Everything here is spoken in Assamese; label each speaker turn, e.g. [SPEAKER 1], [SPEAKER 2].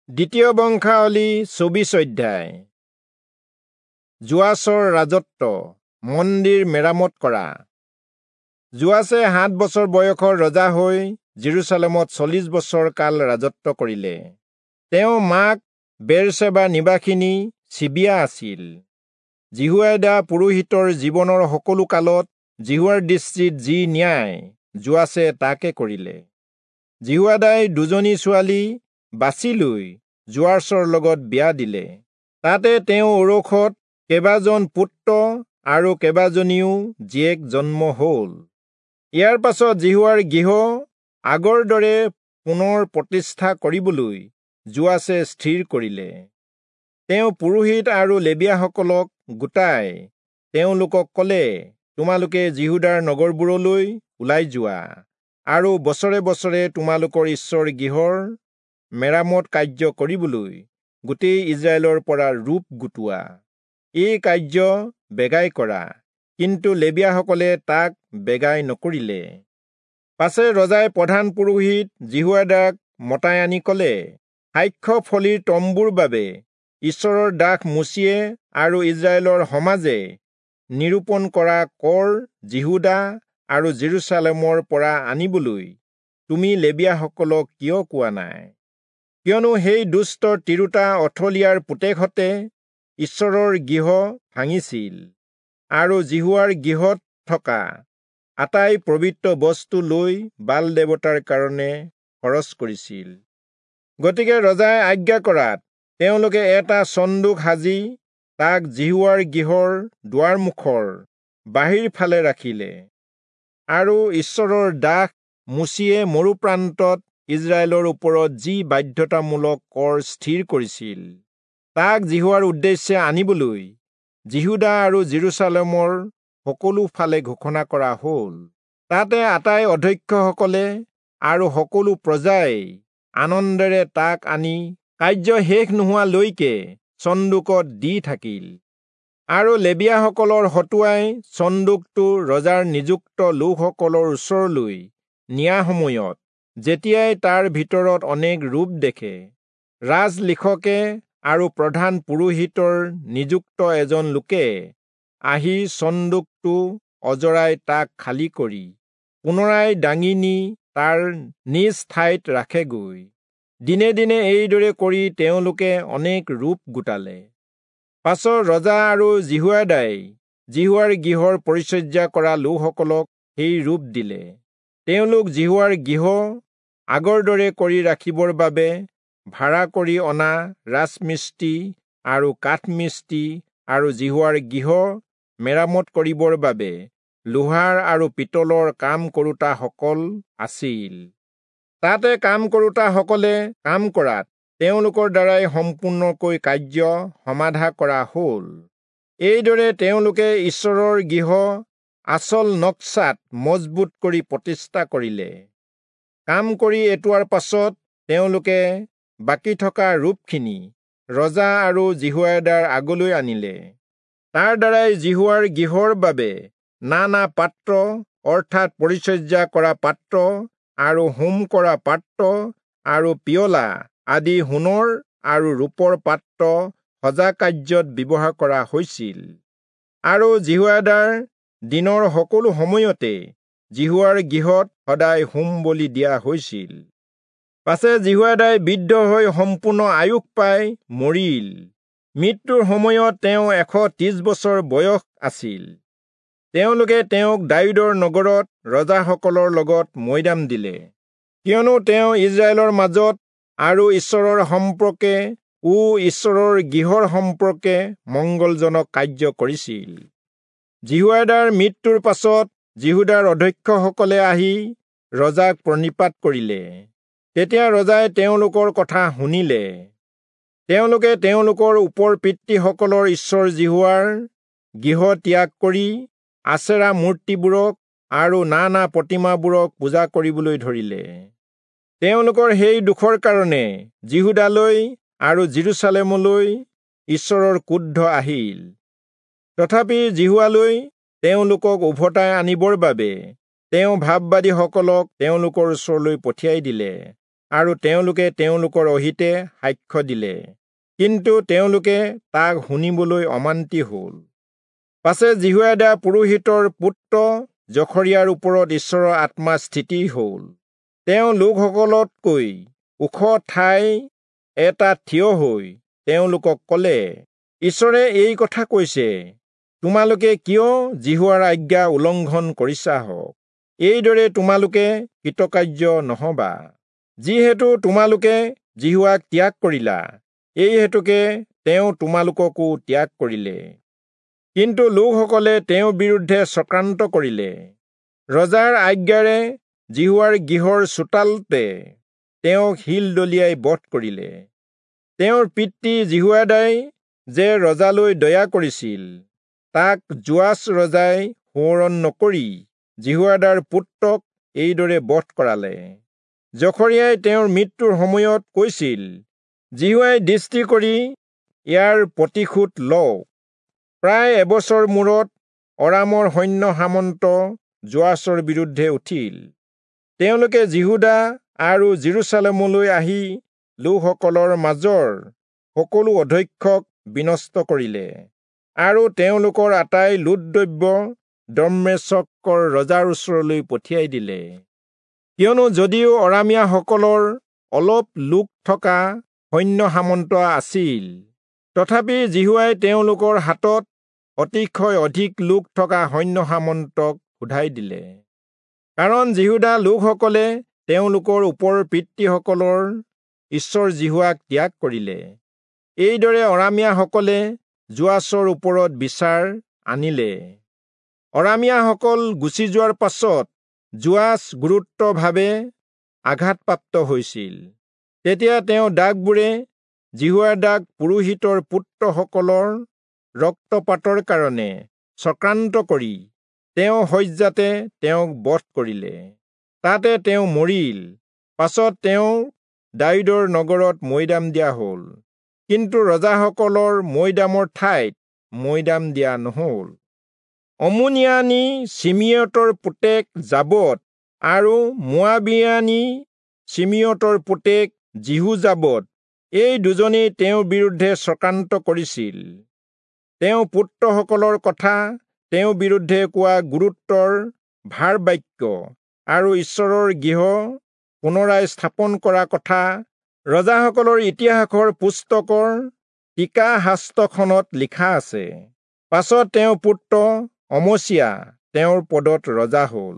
[SPEAKER 1] দ্বিতীয় বংশাৱলী 24 অধ্যায়। যোৱাচৰ ৰাজত্ব, মন্দিৰ মেৰামত কৰা। যোৱাচে 7 বছৰ বয়সৰ ৰজা হৈ জেৰুচালেমত 40 বছৰ কাল ৰাজত্ব কৰিলে। তেওঁ মাক বেৰচেবা নিবাসিনী চিবিয়া আছিল। যিহোয়াদা পুৰোহিতৰ জীৱনৰ সকলো কালত যিহোৱাৰ দৃষ্টিত যি ন্যায়, যোৱাচে তাকে কৰিলে। যিহোয়াদাই দুজনী ছোৱালী বাছি লৈ যোৱাচৰ লগত বিয়া দিলে। তাতে তেওঁ ঔৰসত কেইবাজন পুত্ৰ আৰু কেইবাজনীও জীয়েক জন্ম হল। ইয়াৰ পাছত যিহোৱাৰ গৃহ আগৰ দৰে পুনৰ প্ৰতিষ্ঠা কৰিবলৈ যোৱাচে স্থিৰ কৰিলে। তেওঁ পুৰোহিত আৰু লেবীয়াসকলক গোটাই তেওঁলোকক কলে, তোমালোকে যিহূদাৰ নগৰবোৰলৈ ওলাই যোৱা আৰু বছৰে বছৰে তোমালোকৰ ঈশ্বৰ গৃহৰ মেৰামত কাৰ্য কৰিবলৈ গোটেই ইজৰাইলৰ পৰা ৰূপ গোটোৱা। এই কাৰ্য বেগাই কৰা। কিন্তু লেবীয়াসকলে তাক বেগাই নকৰিলে। পাছে ৰজাই প্ৰধান পুৰোহিত যিহোয়াদাক মতাই আনি কলে, সাক্ষ্য ফলিৰ তম্বুৰ বাবে ঈশ্বৰৰ দাস মোচিয়ে আৰু ইজৰাইলৰ সমাজে নিৰূপণ কৰা কৰ যিহূদা আৰু জেৰুচালেমৰ পৰা আনিবলৈ তুমি লেবীয়াসকলক কিয় কোৱা নাই? কিয়নো সেই দুষ্ট তিৰোতা অথলিয়াৰ পুতেকহঁতে ঈশ্বৰৰ গৃহ ভাঙিছিল আৰু যিহোৱাৰ গৃহত থকা আটাই পবিত্ৰ বস্তু লৈ বাল দেৱতাৰ কাৰণে খৰচ কৰিছিল। গতিকে ৰজাই আজ্ঞা কৰাত তেওঁলোকে এটা চন্দুক সাজি তাক যিহোৱাৰ গৃহৰ দুৱাৰমুখৰ বাহিৰ ফালে ৰাখিলে। আৰু ঈশ্বৰৰ দাস মোচিয়ে মৰুপ্ৰান্তত ইজৰাইলৰ ওপৰত যি বাধ্যতামূলক কৰ স্থিৰ কৰিছিল, তাক যিহোৱাৰ উদ্দেশ্যে আনিবলৈ যিহূদা আৰু জেৰুচালেমৰ সকলো ফালে ঘোষণা কৰা হল। তাতে আটাই অধ্যক্ষসকলে আৰু সকলো প্ৰজাই আনন্দেৰে তাক আনি কাৰ্য শেষ নোহোৱালৈকে চন্দুকত দি থাকিল। আৰু লেবীয়াসকলৰ হতুৱাই চন্দুকটো ৰজাৰ নিযুক্ত লোকসকলৰ ওচৰলৈ নিয়া সময়ত যেতিয়াই তাৰ ভিতৰত অনেক ৰূপ দেখে, ৰাজলিখকে আৰু প্ৰধান পুৰোহিতৰ নিযুক্ত এজন লোকে আহি চন্দুকটো অজৰাই তাক খালী কৰি পুনৰাই দাঙি নি তাৰ নিজ ঠাইত ৰাখেগৈ। দিনে দিনে এইদৰে কৰি তেওঁলোকে অনেক ৰূপ গোটালে। পাছত ৰজা আৰু যিহোয়াদাই যিহোৱাৰ গৃহৰ পৰিচৰ্যা কৰা লোকসকলক সেই ৰূপ দিলে। তেওঁলোক যিহোৱাৰ গৃহ আগৰ দৰে কৰি ৰাখিবৰ বাবে ভাড়া কৰি অনা ৰাজমিস্ত্ৰী আৰু কাঠমিস্ত্ৰী আৰু যিহোৱাৰ গৃহ মেৰামত কৰিবৰ বাবে লোহাৰ আৰু পিতলৰ কাম কৰোতাসকল আছিল। তাতে কাম কৰোতাসকলে কাম কৰাত তেওঁলোকৰ দ্বাৰাই সম্পূৰ্ণকৈ কাৰ্য সমাধা কৰা হল। এইদৰে তেওঁলোকে ঈশ্বৰৰ গৃহ আচল নক্সাত মজবুত কৰি প্ৰতিষ্ঠা কৰিলে। কাম কৰি এটোৱাৰ পাছত তেওঁলোকে বাকী থকা ৰূপখিনি ৰজা আৰু যিহোয়াদাৰ আগলৈ আনিলে। তাৰ দ্বাৰাই যিহোৱাৰ গৃহৰ বাবে নানা পাত্ৰ, অৰ্থাৎ পৰিচৰ্যা কৰা পাত্ৰ আৰু হোম কৰা পাত্ৰ আৰু পিয়লা আদি সোণৰ আৰু ৰূপৰ পাত্ৰ সজা কাৰ্যত ব্যৱহাৰ কৰা হৈছিল। আৰু যিহোয়াদাৰ দিনৰ সকলো সময়তে যিহোৱাৰ গৃহত সদায় হোম বলি দিয়া হৈছিল। পাছে যিহোয়াদাই বৃদ্ধ হৈ সম্পূৰ্ণ আয়ুস পাই মৰিল। মৃত্যুৰ সময়ত তেওঁ 130 বছৰ বয়স আছিল। তেওঁলোকে তেওঁক দায়ূদৰ নগৰত ৰজাসকলৰ লগত মৈদাম দিলে, কিয়নো তেওঁ ইজৰাইলৰ মাজত আৰু ঈশ্বৰৰ সম্পৰ্কে ও ঈশ্বৰৰ গৃহৰ সম্পৰ্কে মংগলজনক কাৰ্য কৰিছিল। যিহোয়াদাৰ মৃত্যুৰ পাছত যিহূদাৰ অধ্যক্ষসকলে আহি ৰজাক প্ৰণিপাত কৰিলে। তেতিয়া ৰজাই তেওঁলোকৰ কথা শুনিলে। তেওঁলোকে তেওঁলোকৰ ওপৰ পিতৃসকলৰ ঈশ্বৰ যিহোৱাৰ গৃহ ত্যাগ কৰি আচেৰা মূৰ্তিবোৰক আৰু নানা প্ৰতিমাবোৰক পূজা কৰিবলৈ ধৰিলে। তেওঁলোকৰ সেই দুখৰ কাৰণে যিহূদালৈ আৰু জেৰুচালেমলৈ ঈশ্বৰৰ ক্ৰোধ আহিল। তথাপি যিহোৱালৈ তেওঁলোকক উভতাই আনিবৰ বাবে তেওঁ ভাববাদীসকলক তেওঁলোকৰ ওচৰলৈ পঠিয়াই দিলে আৰু তেওঁলোকে তেওঁলোকৰ অহিতে সাক্ষ্য দিলে, কিন্তু তেওঁলোকে তাক শুনিবলৈ অমান্তি হ'ল। পাছে যিহোয়াদা পুৰোহিতৰ পুত্ৰ জখৰিয়াৰ ওপৰত ঈশ্বৰৰ আত্মা স্থিতি হ'ল। তেওঁ লোকসকলতকৈ ওখ ঠাই এটা থিয় হৈ তেওঁলোকক ক'লে, ঈশ্বৰে এই কথা কৈছে, তোমালোকে কিয় যিহোৱাৰ আজ্ঞা উলংঘন কৰিছা হওক? এইদৰে তোমালোকে কৃতকাৰ্য নহবা। যিহেতু তোমালোকে যিহোৱাক ত্যাগ কৰিলা, এই হেতুকে তেওঁ তোমালোককো ত্যাগ কৰিলে। কিন্তু লোকসকলে তেওঁৰ বিৰুদ্ধে চক্ৰান্ত কৰিলে। ৰজাৰ আজ্ঞাৰে যিহোৱাৰ গৃহৰ চোতালতে তেওঁক শিল দলিয়াই বধ কৰিলে। তেওঁৰ পিতৃ যিহোয়াদাই যে ৰজালৈ দয়া কৰিছিল, তাক যোৱাচ ৰজাই সোঁৱৰণ নকৰি যিহোয়াদাৰ পুত্ৰক এইদৰে বধ কৰালে। জখৰিয়াই তেওঁৰ মৃত্যুৰ সময়ত কৈছিল, যিহোৱাই দৃষ্টি কৰি ইয়াৰ প্ৰতিশোধ লওক। প্ৰায় এবছৰ মূৰত অৰামৰ সৈন্য সামন্ত যোৱাচৰ বিৰুদ্ধে উঠিল। তেওঁলোকে যিহূদা আৰু যিৰূচালেমলৈ আহি লোকসকলৰ মাজৰ সকলো অধ্যক্ষক বিনষ্ট কৰিলে আৰু তেওঁলোকৰ আটাই লুটদ্ৰব্য দম্মেচকৰ ৰজাৰ ওচৰলৈ পঠিয়াই দিলে। কিয়নো যদিও অৰামীয়াসকলৰ অলপ লোক থকা সৈন্য সামন্ত আছিল, তথাপি যিহোৱাই তেওঁলোকৰ হাতত অতিশয় অধিক লোক থকা সৈন্য সামন্তক সোধাই দিলে। কাৰণ যিহূদা লোকসকলে তেওঁলোকৰ ওপৰ পিতৃসকলৰ ঈশ্বৰ যিহোৱাক ত্যাগ কৰিলে। এইদৰে অৰামীয়াসকলে যোৱাচৰ ওপৰত বিচাৰ আনিলে। অৰামীয়াসকল গুচি যোৱাৰ পাছত যোৱাচ গুৰুত্বভাৱে আঘাতপ্ৰাপ্ত হৈছিল। তেতিয়া তেওঁ দাগবোৰে যিহোয়াদাক পুৰোহিতৰ পুত্ৰসকলৰ ৰক্তপাতৰ কাৰণে চক্ৰান্ত কৰি তেওঁ শয্যাতে তেওঁক বধ কৰিলে। তাতে তেওঁ মৰিল। পাছত তেওঁ দায়ূদৰ নগৰত মৈদাম দিয়া হ'ল, কিন্তু ৰজাসকলৰ মৈদামৰ ঠাইত মৈদাম দিয়া নহ'ল। অমোনিয়ানী চিমিয়তৰ পুতেক যাবদ আৰু মোৱাবিয়ানী চিমিয়তৰ পুতেক যিহোযাবদ, এই দুজনেই তেওঁৰ বিৰুদ্ধে চক্ৰান্ত কৰিছিল। তেওঁ পুত্ৰসকলৰ কথা তেওঁৰ বিৰুদ্ধে কোৱা গুৰুত্বৰ ভাৰবাক্য আৰু ঈশ্বৰৰ গৃহ পুনৰাই স্থাপন কৰা কথা ৰজাসকলৰ ইতিহাসৰ পুস্তকৰ টীকা শাস্ত্ৰখনত লিখা আছে। পাছত তেওঁৰ পুত্ৰ অমচিয়া তেওঁৰ পদত ৰজা হ'ল।